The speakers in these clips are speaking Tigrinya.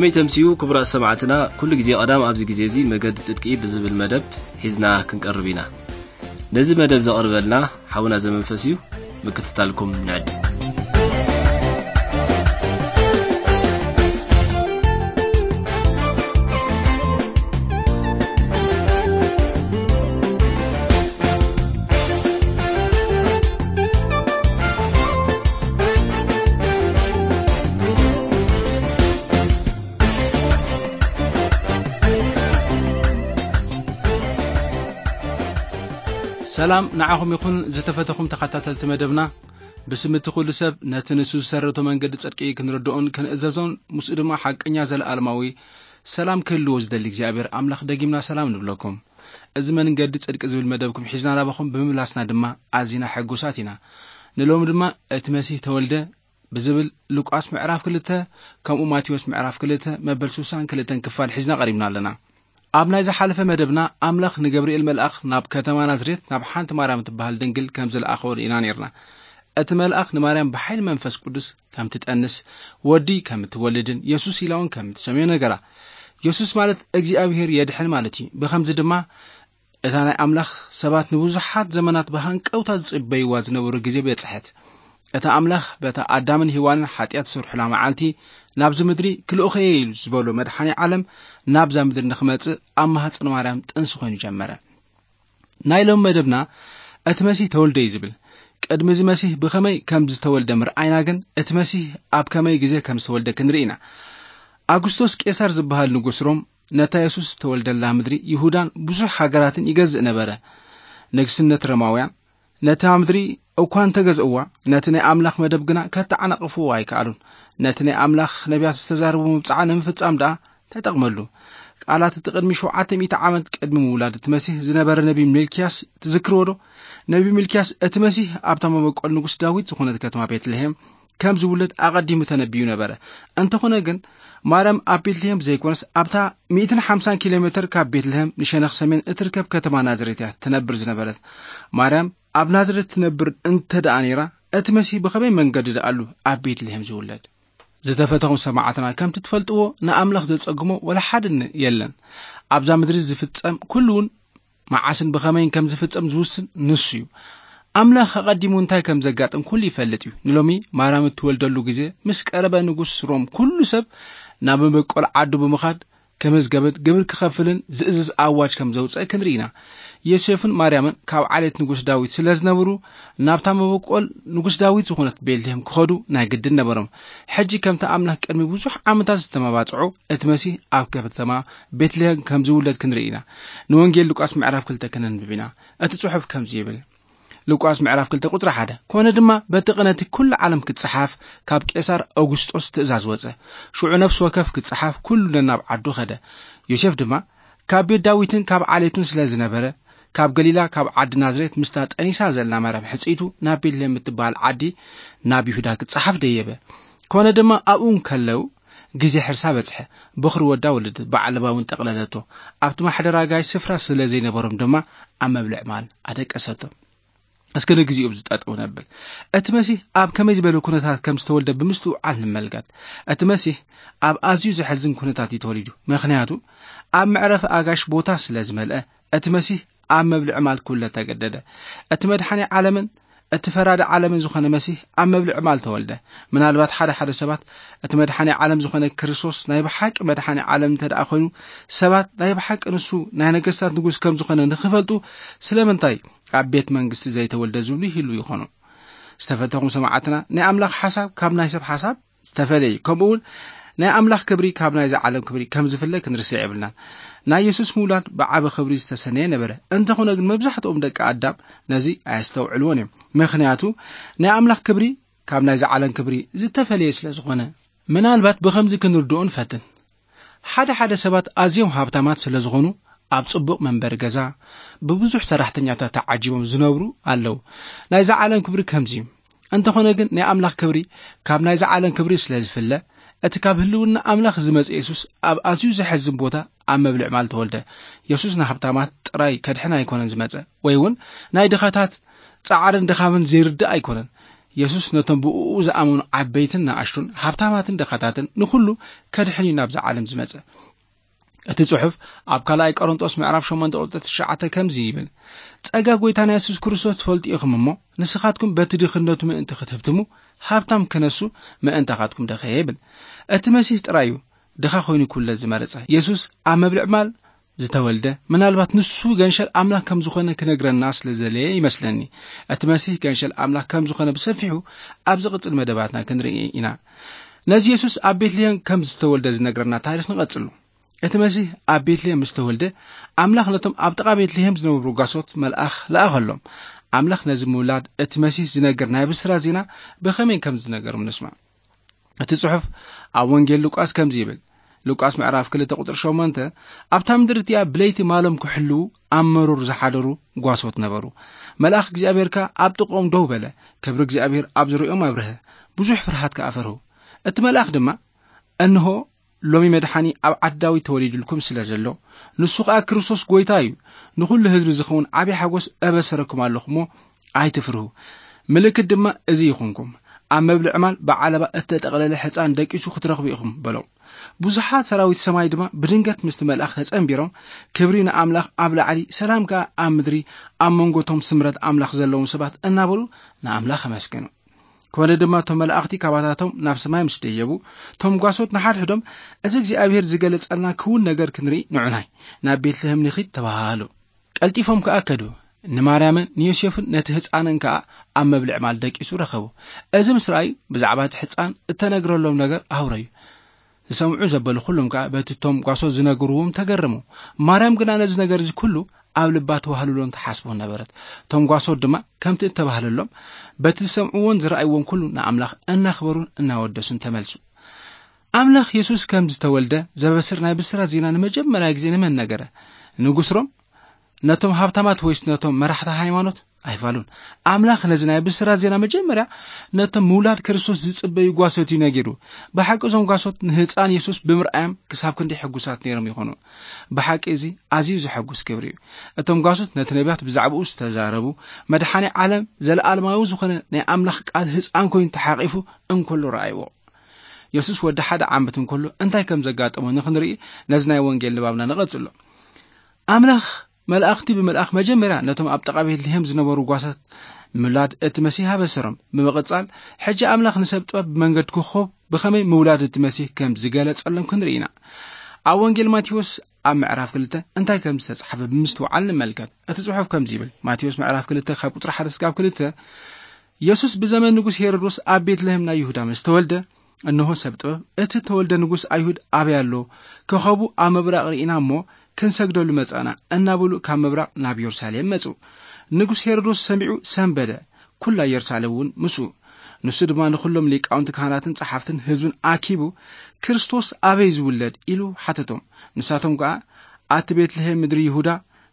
ከመይ ተምስዩ ክቡራት ሰማዕትና፣ ኩሉ ግዜ ቀዳም ኣብዚ ግዜ እዚ መገዲ ጽድቂ ብዝብል መደብ ሒዝና ክንቀርብ ኢና። ነዚ መደብ ዘቕርበልና ሓውና ዘመንፈስ እዩ። ምክትታልኩም ንዕድ። ሰላም ንዓኹም ይኹን ዝተፈተኹም ተኸታተልቲ መደብና። ብስም እቲ ኩሉ ሰብ ነቲ ንሱ ዝሰረቶ መንገዲ ጽድቂ ክንርድኦን ክንእዘዞን ምስኡ ድማ ሓቀኛ ዘለኣለማዊ ሰላም ክህልዎ ዝደሊ እግዚኣብሔር ኣምላኽ ደጊምና ሰላም ንብለኩም። እዚ መንገዲ ጽድቂ ዝብል መደብኩም ሒዝና ናባኹም ብምምላስና ድማ ኣዚና ሕጉሳት ኢና። ንሎሚ ድማ እቲ መሲህ ተወልደ ብዝብል ሉቃስ ምዕራፍ ክልተ ከምኡ ማቴዎስ ምዕራፍ ክልተ መበል ስሳን ክልተን ክፋል ሒዝና ቀሪብና ኣለና። ኣብ ናይ ዝሓለፈ መደብና ኣምላኽ ንገብርኤል መልኣኽ ናብ ከተማ ናዝሬት ናብ ሓንቲ ማርያም እትበሃል ድንግል ከም ዝለኣኸዎ ርኢና ነርና። እቲ መልኣኽ ንማርያም ብሓይሊ መንፈስ ቅዱስ ከም ትጠንስ፣ ወዲ ከም እትወልድን የሱስ ኢላ እውን ከም እትሰምዮ ነገራ። የሱስ ማለት እግዚኣብሔር የድሕን ማለት እዩ። ብኸምዚ ድማ እታ ናይ ኣምላኽ ሰባት ንብዙሓት ዘመናት ብሃንቀውታ ዝጽበይዋ ዝነበሩ ግዜ በጽሐት። እታ ኣምላኽ በታ ኣዳምን ሄዋንን ሓጢኣት ዝሰርሑላ መዓልቲ ናብዚ ምድሪ ክልኡኸ እየ ኢሉ ዝበሎ መድሓኒ ዓለም ናብዛ ምድሪ ንኽመጽእ ኣብ ማህፀን ማርያም ጥንሲ ኮይኑ ጀመረ። ናይ ሎም መደብና እቲ መሲህ ተወልደ እዩ ዝብል። ቅድሚ እዚ መሲህ ብኸመይ ከም ዝተወልደ ምርኣይና ግን እቲ መሲህ ኣብ ከመይ ግዜ ከም ዝተወልደ ክንርኢ ኢና። ኣጉስቶስ ቄሳር ዝበሃል ንጉስ ሮም ነታ የሱስ ዝተወልደላ ምድሪ ይሁዳን ብዙሕ ሃገራትን ይገዝእ ነበረ። ንግስነት ሮማውያን ነታ ምድሪ እኳ እንተገዝእዋ፣ ነቲ ናይ ኣምላኽ መደብ ግና ከተዓናቕፍዎ ኣይከኣሉን። ነቲ ናይ ኣምላኽ ነቢያት ዝተዛረቡ ምብጻዓ ንምፍጻም ደኣ ተጠቕመሉ። ቃላት እቲ ቅድሚ ሸውዓተ ሚእቲ ዓመት ቅድሚ ምውላድ እቲ መሲህ ዝነበረ ነቢ ሚልክያስ ትዝክርዎ ዶ? ነቢ ሚልክያስ እቲ መሲህ ኣብታ መበቆል ንጉስ ዳዊት ዝኾነት ከተማ ቤትልሔም ከም ዝውለድ ኣቐዲሙ ተነቢዩ ነበረ። እንተኾነ ግን ማርያም ኣብ ቤትልሔም ዘይኮነስ ኣብታ ሚእትን ሓምሳን ኪሎ ሜትር ካብ ቤትልሔም ንሸነኽ ሰሜን እትርከብ ከተማ ናዝሬት እያ ትነብር ዝነበረት። ማርያም ኣብ ናዝሬት ትነብር እንተ ደኣ ነይራ፣ እቲ መሲህ ብኸመይ መንገዲ ደኣሉ ኣብ ቤትልሔም ዝውለድ? ዝተፈተኹም ሰማዕትና ከምቲ ትፈልጥዎ ንኣምላኽ ዘጸግሞ ወላ ሓደ ን-፣ የለን። ኣብዛ ምድሪ ዝፍጸም ኩሉ እውን መዓስን ብኸመይን ከም ዝፍጸም ዝውስን ንሱ እዩ። ኣምላኽ ኣቐዲሙ እንታይ ከም ዘጋጥም ኩሉ ይፈልጥ እዩ። ንሎሚ ማርያም እትወልደሉ ግዜ ምስ ቀረበ ንጉስ ሮም ኩሉ ሰብ ናብ መበቆል ዓዱ ብምኻድ ክምዝገብን ግብር ክኸፍልን ዝእዝዝ ኣዋጅ ከም ዘውጸእ ክንርኢ ኢና። ዮሴፍን ማርያምን ካብ ዓሌት ንጉስ ዳዊት ስለ ዝነበሩ ናብታ መበቆል ንጉስ ዳዊት ዝኾነት ቤትልሔም ክኸዱ ናይ ግድን ነበሮም። ሕጂ ከምቲ ኣምላኽ ቅድሚ ብዙሕ ዓመታት ዝተመባጽዖ እቲ መሲህ ኣብ ከተማ ቤትልሔም ከም ዝውለድ ክንርኢ ኢና። ንወንጌል ሉቃስ ምዕራፍ ክልተ ከነንብብ ኢና። እቲ ጽሑፍ ከምዚ ይብል። ሉቃስ ምዕራፍ ክልተ ቁጽሪ ሓደ። ኮነ ድማ በቲ ቅነቲ ኩሉ ዓለም ክጸሓፍ ካብ ቄሳር ኣውጉስጦስ ትእዛዝ ወጸ። ሽዑ ነፍሲ ወከፍ ክጸሓፍ ኩሉ ነናብ ዓዱ ኸደ። ዮሴፍ ድማ ካብ ቤት ዳዊትን ካብ ዓሌቱን ስለ ዝነበረ፣ ካብ ገሊላ ካብ ዓዲ ናዝሬት ምስታ ጠኒሳ ዘላ ማርያም ሕጽይቱ ናብ ቤትልሔም እትበሃል ዓዲ ናብ ይሁዳ ክጸሓፍ ደየበ። ኮነ ድማ ኣብኡ እንከለዉ ግዜ ሕርሳ በጽሐ። በኹሪ ወዳ ወለደት፣ ብዓለባ እውን ጠቕለለቶ። ኣብቲ ማሕደር ኣጋይሽ ስፍራ ስለ ዘይነበሮም ድማ ኣብ መብልዕ ማል ኣደቀሰቶም። እስከ ንግዚኡ ኣብዚ ጠጠው ነብል። እቲ መሲህ ኣብ ከመይ ዝበለ ኩነታት ከም ዝተወልደ ብምስትውዓል ንመልከት። እቲ መሲህ ኣብ ኣዝዩ ዘሕዝን ኩነታት እዩ ተወሊዱ። ምኽንያቱ ኣብ መዕረፊ ኣጋይሽ ቦታ ስለ ዝመልአ፣ እቲ መሲህ ኣብ መብልዒ ማል ክውለድ ተገደደ። እቲ መድሓኒ ዓለምን እቲ ፈራዲ ዓለምን ዝኾነ መሲህ ኣብ መብልዒ ማል ተወልደ። ምናልባት ሓደ ሓደ ሰባት እቲ መድሓኒ ዓለም ዝኾነ ክርስቶስ ናይ ብሓቂ መድሓኒ ዓለም እንተ ደኣ ኮይኑ፣ ሰባት ናይ ብሓቂ ንሱ ናይ ነገስታት ንጉስ ከም ዝኾነ ንኽፈልጡ ስለምንታይ ኣብ ቤት መንግስቲ ዘይተወልደ ዝብሉ ይህልዉ ይኾኑ። ዝተፈተኹም ሰማዕትና፣ ናይ ኣምላኽ ሓሳብ ካብ ናይ ሰብ ሓሳብ ዝተፈለየ እዩ። ከምኡ እውን ናይ ኣምላኽ ክብሪ ካብ ናይዚ ዓለም ክብሪ ከም ዝፍለ ክንርስዕ የብልናን። ናይ የሱስ ምውላድ ብዓቢ ክብሪ ዝተሰነየ ነበረ። እንተኾነ ግን መብዛሕትኦም ደቂ ኣዳም ነዚ ኣየስተውዕልዎን እዮም። ምኽንያቱ ናይ ኣምላኽ ክብሪ ካብ ናይዚ ዓለም ክብሪ ዝተፈለየ ስለ ዝኾነ። ምናልባት ብኸምዚ ክንርድኦ ንፈትን። ሓደ ሓደ ሰባት ኣዝዮም ሃብታማት ስለ ዝኾኑ ኣብ ጽቡቕ መንበሪ ገዛ ብብዙሕ ሰራሕተኛታት ተዓጂቦም ዝነብሩ ኣለዉ። ናይዚ ዓለም ክብሪ ከምዚ እዩ። እንተኾነ ግን ናይ ኣምላኽ ክብሪ ካብ ናይዚ ዓለም ክብሪ ስለ ዝፍለ፣ እቲ ካብ ህልውና ኣምላኽ ዝመጸ የሱስ ኣብ ኣዝዩ ዘሕዝን ቦታ ኣብ መብልዕ ማል ተወልደ። የሱስ ንሃብታማት ጥራይ ከድሕን ኣይኮነን ዝመጸ፣ ወይ እውን ናይ ድኻታት ጻዕርን ድኻምን ዘይርዳእ ኣይኮነን። የሱስ ነቶም ብእኡ ዝኣመኑ ዓበይትን ንኣሽቱን፣ ሃብታማትን ድኻታትን፣ ንኹሉ ከድሕን እዩ ናብዛ ዓለም ዝመጸ። እቲ ጽሑፍ ኣብ ካልኣይ ቆሮንጦስ ምዕራፍ ሸሞንተ ቁጽሪ ትሽዓተ ከምዚ ይብል፣ "ጸጋ ጐይታና የሱስ ክርስቶስ ትፈልጡ ኢኹም እሞ፣ ንስኻትኩም በቲ ድኽነቱ ምእንቲ ክትህብትሙ፣ ሃብታም ክነሱ ምእንታኻትኩም ደኸየ" ይብል። እቲ መሲህ ጥራይ እዩ ድኻ ኮይኑ ክውለድ ዝመረጸ። የሱስ ኣብ መብልዕ ማል ዝተወልደ፣ ምናልባት ንሱ ገንሸል ኣምላኽ ከም ዝኾነ ክነግረና ስለ ዘለየ ይመስለኒ። እቲ መሲህ ገንሸል ኣምላኽ ከም ዝኾነ ብሰፊሑ ኣብ ዝቕጽል መደባትና ክንርኢ ኢና። ነዚ የሱስ ኣብ ቤትልሄም ከም ዝተወልደ ዝነግረና ታሪኽ ንቐጽሉ። እቲ መሲህ ኣብ ቤትልሄም ምስ ተወልደ፣ ኣምላኽ ነቶም ኣብ ጥቓ ቤትልሄም ዝነበሩ ጓሶት መልኣኽ ለኣኸሎም። ኣምላኽ ነዚ ምውላድ እቲ መሲህ ዝነግር ናይ ብስራት ዜና ብኸመይ ከም ዝነገሮም ንስማዕ። እቲ ጽሑፍ ኣብ ወንጌል ሉቃስ ከምዚ ይብል፣ ሉቃስ ምዕራፍ ክልተ ቁጽሪ ሸሞንተ፣ "ኣብታ ምድሪ እቲኣ ብለይቲ ማሎም ክሕልዉ ኣብ መሮር ዝሓደሩ ጓሶት ነበሩ። መልኣኽ እግዚኣብሔር ከኣ ኣብ ጥቕኦም ደው በለ፣ ክብሪ እግዚኣብሔር ኣብ ዙርያኦም ኣብርሀ፣ ብዙሕ ፍርሃት ከኣ ፈርሁ። እቲ መልኣኽ ድማ፣ እንሆ፣ ሎሚ መድሓኒ ኣብ ዓዲ ዳዊት ተወሊዱልኩም ስለ ዘሎ፣ ንሱ ኸኣ ክርስቶስ ጐይታ እዩ፣ ንኹሉ ህዝቢ ዝኸውን ዓብዪ ሓጎስ እበሰረኩም ኣለኹ እሞ ኣይትፍርሁ። ምልክት ድማ እዚ ይኹንኩም፣ ኣብ መብልዕ ማል ብዓለባ እተጠቕለለ ሕፃን ደቂሱ ክትረኽቡ ኢኹም" በሎም። ብዙሓት ሰራዊት ሰማይ ድማ ብድንገት ምስቲ መልኣኽ ተጸንቢሮም፣ "ክብሪ ንኣምላኽ ኣብ ላዕሊ፣ ሰላም ከኣ ኣብ ምድሪ፣ ኣብ መንጎ እቶም ስምረት ኣምላኽ ዘለዎም ሰባት" እናበሉ ንኣምላኽ ኣመስገኑ። ኮነ ድማ እቶም መላእኽቲ ካባታቶም ናብ ሰማይ ምስ ደየቡ፣ እቶም ጓሶት ንሓድሕዶም፣ "እዚ እግዚኣብሔር ዝገለጸልና ክውን ነገር ክንርኢ ንዑናይ ናብ ቤትልሔም ንኺድ" ተባሃሃሉ። ቀልጢፎም ከኣ ከዱ። ንማርያምን ንዮሴፍን ነቲ ህጻንን ከኣ ኣብ መብልዕ ማል ደቂሱ ረኸቡ። እዚ ምስ ረኣዩ፣ ብዛዕባ እቲ ሕጻን እተነግረሎም ነገር ኣውረዩ። ዝሰምዑ ዘበሉ ኩሎም ከኣ በቲ እቶም ጓሶት ዝነግርዎም ተገረሙ። ማርያም ግና ነዚ ነገር እዚ ኩሉ ኣብ ልባ ተዋህልሎን ተሓስቦን ነበረት። እቶም ጓሶት ድማ ከምቲ እተባህለሎም በቲ ዝሰምዕዎን ዝረኣይዎን ኩሉ ንኣምላኽ እናኽበሩን እናወደሱን ተመልሱ። ኣምላኽ የሱስ ከም ዝተወልደ ዘበስር ናይ ብስራት ዜና ንመጀመርያ ግዜ ንመን ነገረ? ንጉስ ሮም? ነቶም ሃብታማት ወይስ ነቶም መራሕቲ ሃይማኖት? ኣይፋሉን። ኣምላኽ ነዚ ናይ ብስራት ዜና መጀመርያ ነቶም ምውላድ ክርስቶስ ዝጽበዩ ጓሶት እዩ ነጊሩ። ብሓቂ እዞም ጓሶት ንህፃን የሱስ ብምርኣዮም ክሳብ ክንደይ ሕጉሳት ነይሮም ይኾኑ። ብሓቂ እዚ ኣዝዩ ዘሐጉስ ክብሪ እዩ። እቶም ጓሶት ነቲ ነቢያት ብዛዕባኡ ዝተዛረቡ፣ መድሓኒ ዓለም ዘለኣለማዊ ዝኾነ ናይ ኣምላኽ ቃል ህፃን ኮይኑ ተሓቒፉ እንከሎ ረኣይዎ። የሱስ ወዲ ሓደ ዓመት እንከሎ እንታይ ከም ዘጋጠሞ ንኽንርኢ ነዚ ናይ ወንጌል ንባብና ንቐጽሎ። ኣምላኽ መልኣኽቲ ብምልኣኽ መጀመርያ ነቶም ኣብ ጥቓ ቤትልሄም ዝነበሩ ጓሳት ምውላድ እቲ መሲህ ኣበሰሮም። ብምቕጻል፣ ሕጂ ኣምላኽ ንሰብ ጥበብ ብመንገዲ ኮኾብ ብኸመይ ምውላድ እቲ መሲህ ከም ዝገለጸሎም ክንርኢ ኢና። ኣብ ወንጌል ማቴዎስ ኣብ ምዕራፍ ክልተ እንታይ ከም ዝተጻሕፈ ብምስትውዓል ንመልከት። እቲ ጽሑፍ ከምዚ ይብል፣ ማቴዎስ ምዕራፍ ክልተ ካብ ቁጽሪ ሓደ እስካብ ክልተ፣ የሱስ ብዘመን ንጉስ ሄሮዶስ ኣብ ቤትልሄም ናይ ይሁዳ ምስ ተወልደ፣ እንሆ ሰብ ጥበብ፣ "እቲ ተወልደ ንጉስ ኣይሁድ ኣበይ ኣሎ? ኮኸቡ ኣብ ምብራቕ ርኢና እሞ ክንሰግደሉ መጻእና" እናበሉ ካብ ምብራቕ ናብ የሩሳሌም መጹ። ንጉስ ሄሮዶስ ሰሚዑ ሰንበደ፣ ኩላ የሩሳሌም እውን ምስኡ። ንሱ ድማ ንኹሎም ሊቃውንቲ ካህናትን ጸሓፍትን ህዝብን ኣኪቡ፣ "ክርስቶስ ኣበይ ዝውለድ?" ኢሉ ሓተቶም። ንሳቶም ከኣ፣ "ኣቲ ቤትልሄም ምድሪ ይሁዳ፣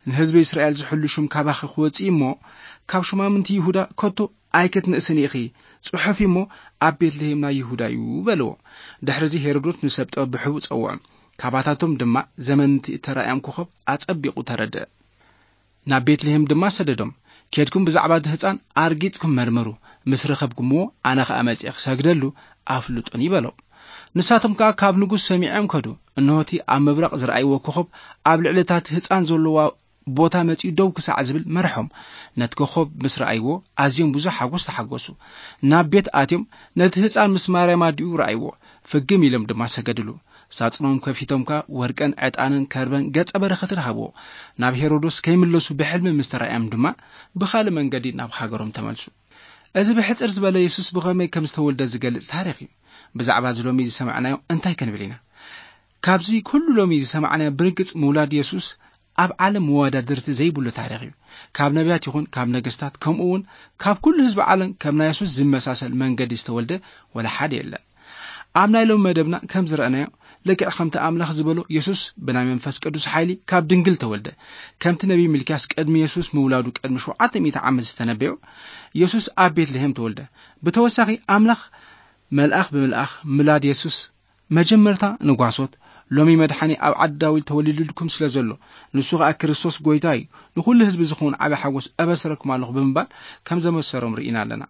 ንህዝቢ እስራኤል ዝሕሉ ሹም ካባኺ ክወጽእ እሞ፣ ካብ ሹማምንቲ ይሁዳ ከቶ ኣይክትንእስን ኢኺ፣ ጽሑፊ እሞ ኣብ ቤትልሄም ናይ ይሁዳ እዩ" በልዎ። ድሕሪ እዚ ሄሮዶስ ንሰብ ጥበብ ብሕቡእ ጸውዖም። ካባታቶም ድማ ዘመን እቲ እተራእዮም ኮኸብ ኣጸቢቑ ተረድአ። ናብ ቤትልሄም ድማ ሰደዶም። "ኬድኩም ብዛዕባ እቲ ህጻን ኣርጊጽኩም መርምሩ፣ ምስ ረኸብኩምዎ ኣነ ኸኣ መጺኤ ክሰግደሉ ኣፍልጡኒ" በሎም። ንሳቶም ከኣ ካብ ንጉስ ሰሚዖም ከዱ። እንሆ እቲ ኣብ ምብራቕ ዝረኣይዎ ኮኸብ ኣብ ልዕሊ እታ እቲ ህጻን ዘለዋ ቦታ መጺኡ ደው ክሳዕ ዝብል መርሖም። ነቲ ኮኸብ ምስ ረኣይዎ ኣዝዮም ብዙሕ ሓጎስ ተሓጎሱ። ናብ ቤት ኣትዮም ነቲ ህጻን ምስ ማርያም ኣዲኡ ረኣይዎ። ፍግም ኢሎም ድማ ሰገድሉ። ሳጽኖም ከፊቶም ከኣ ወርቅን ዕጣንን ከርበን ገጸ በረኸትን ሃብዎ። ናብ ሄሮዶስ ከይምለሱ ብሕልሚ ምስ ተራእዮም ድማ ብኻልእ መንገዲ ናብ ሃገሮም ተመልሱ። እዚ ብሕጽር ዝበለ የሱስ ብኸመይ ከም ዝተወልደ ዝገልጽ ታሪኽ እዩ። ብዛዕባ እዚ ሎሚ ዝሰማዕናዮ እንታይ ክንብል ኢና? ካብዚ ኩሉ ሎሚ ዝሰማዕናዮ ብርግጽ ምውላድ የሱስ ኣብ ዓለም መወዳድርቲ ዘይብሉ ታሪኽ እዩ። ካብ ነቢያት ይኹን ካብ ነገስታት፣ ከምኡ እውን ካብ ኩሉ ህዝቢ ዓለም ከም ናይ የሱስ ዝመሳሰል መንገዲ ዝተወልደ ወላ ሓደ የለን። ኣብ ናይ ሎሚ መደብና ከም ዝረኣናዮ፣ ልክዕ ከምቲ ኣምላኽ ዝበሎ፣ የሱስ ብናይ መንፈስ ቅዱስ ሓይሊ ካብ ድንግል ተወልደ። ከምቲ ነቢይ ሚልክያስ ቅድሚ የሱስ ምውላዱ ቅድሚ ሸውዓተ ሚእቲ ዓመት ዝተነበዮ፣ የሱስ ኣብ ቤትልሄም ተወልደ። ብተወሳኺ፣ ኣምላኽ መልኣኽ ብምልኣኽ ምላድ የሱስ መጀመርታ ንጓሶት፣ "ሎሚ መድሓኒ ኣብ ዓዲ ዳዊት ተወሊዱልኩም ስለ ዘሎ፣ ንሱ ኸኣ ክርስቶስ ጐይታ እዩ፣ ንኹሉ ህዝቢ ዝኸውን ዓቢ ሓጎስ እበስረኩም ኣለኹ" ብምባል ከም ዘመሰሮም ርኢና ኣለና።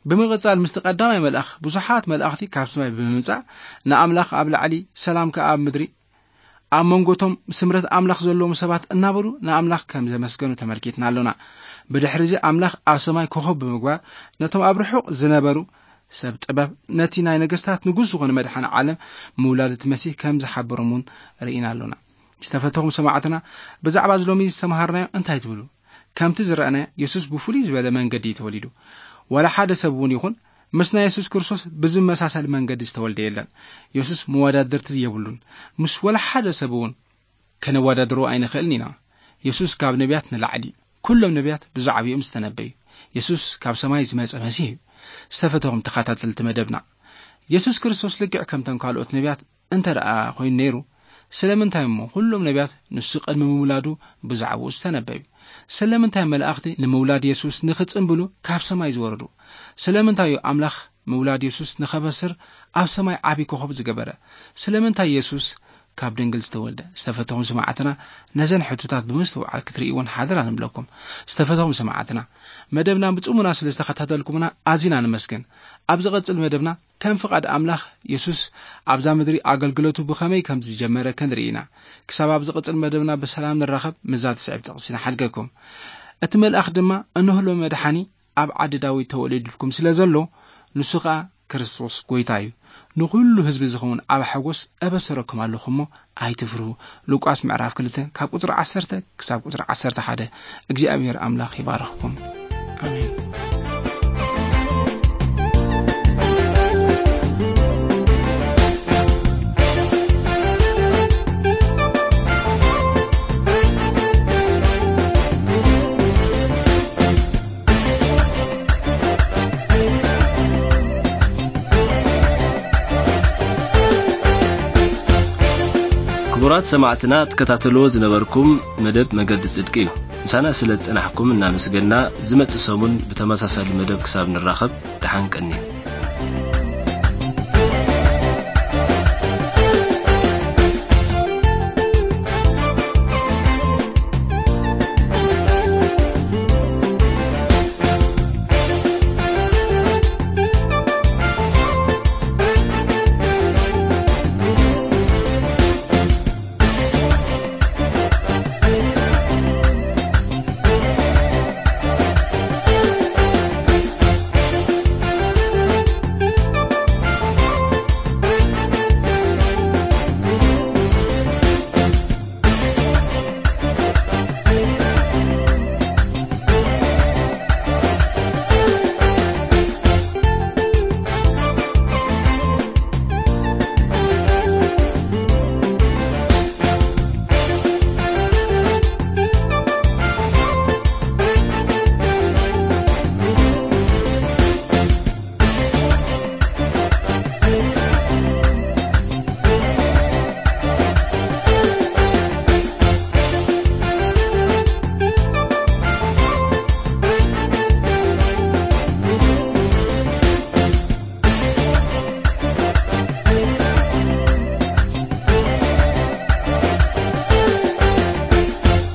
ብምቕጻል ምስቲ ቀዳማይ መልኣኽ ብዙሓት መላእኽቲ ካብ ሰማይ ብምምጻእ ንኣምላኽ ኣብ ላዕሊ ሰላም ከኣ ኣብ ምድሪ ኣብ መንጎቶም ስምረት ኣምላኽ ዘለዎም ሰባት እናበሉ ንኣምላኽ ከም ዘመስገኑ ተመልኪትና ኣሎና። ብድሕሪ እዚ ኣምላኽ ኣብ ሰማይ ኮኸብ ብምግባር ነቶም ኣብ ርሑቕ ዝነበሩ ሰብ ጥበብ ነቲ ናይ ነገስታት ንጉስ ዝኾነ መድሓን ዓለም ምውላድ እቲ መሲህ ከም ዝሓበሮም እውን ርኢና ኣሎና። ዝተፈተኹም ሰማዕትና ብዛዕባ እዚ ሎሚ ዝተምሃርናዮ እንታይ ትብሉ? ከምቲ ዝረኣናዮ የሱስ ብፍሉይ ዝበለ መንገዲ እዩ ተወሊዱ። ዋላ ሓደ ሰብ እውን ይኹን ምስ ናይ የሱስ ክርስቶስ ብዝመሳሰል መንገዲ ዝተወልደ የለን። የሱስ መወዳድርቲ የብሉን። ምስ ዋላ ሓደ ሰብ እውን ከነወዳድሮ ኣይንኽእልን ኢና። የሱስ ካብ ነቢያት ንላዕሊ እዩ። ኩሎም ነቢያት ብዛዕባኡ እዮም ዝተነበዩ። የሱስ ካብ ሰማይ ዝመጸ መሲህ እዩ። ዝተፈተኹም ተኸታተልቲ መደብና፣ የሱስ ክርስቶስ ልክዕ ከምተን ካልኦት ነቢያት እንተ ደኣ ኮይኑ ነይሩ፣ ስለምንታይ እሞ ኩሎም ነቢያት ንሱ ቅድሚ ምውላዱ ብዛዕባኡ ዝተነበዩ? ስለምንታይ መላእኽቲ ንምውላድ የሱስ ንኽጽንብሉ ካብ ሰማይ ዝወረዱ? ስለምንታይ እዩ ኣምላኽ ምውላድ የሱስ ንኸበስር ኣብ ሰማይ ዓቢ ኮኸብ ዝገበረ? ስለምንታይ የሱስ ካብ ድንግል ዝተወልደ? ዝተፈተኹም ሰማዕትና ነዘን ሕቶታት ብምስትውዓል ክትርእይዎን ሓደራ ንብለኩም። ዝተፈተኹም ሰማዕትና መደብና ብጽሙና ስለ ዝተኸታተልኩምና ኣዚና ንመስገን። ኣብ ዝቐጽል መደብና ከም ፍቓድ ኣምላኽ የሱስ ኣብዛ ምድሪ ኣገልግሎቱ ብኸመይ ከም ዝጀመረ ክንርኢ ኢና። ክሳብ ኣብ ዝቐጽል መደብና ብሰላም ንራኸብ ምስዛ ትስዕብ ጥቕሲ ንሓድገኩም። እቲ መልኣኽ ድማ እንሆ ሎሚ መድሓኒ ኣብ ዓዲ ዳዊት ተወሊዱልኩም ስለ ዘሎ ንሱ ኸኣ ክርስቶስ ጐይታ እዩ። ንኹሉ ህዝቢ ዝኸውን ዓቢ ሓጎስ እበሰረኩም ኣለኹ እሞ ኣይትፍርሁ። ሉቃስ ምዕራፍ ክልተ ካብ ቁጽሪ ዓሰርተ ክሳብ ቁጽሪ ዓሰርተ ሓደ። እግዚኣብሔር ኣምላኽ ይባርኽኩም። ኣሜን። ክቡራት ሰማዕትና ትከታተልዎ ዝነበርኩም መደብ መገዲ ጽድቂ እዩ። ምሳና ስለ ዝጸናሕኩም እናመስገና ዝመጽእ ሰሙን ብተመሳሳሊ መደብ ክሳብ ንራኸብ ደሓን ቀንዩ።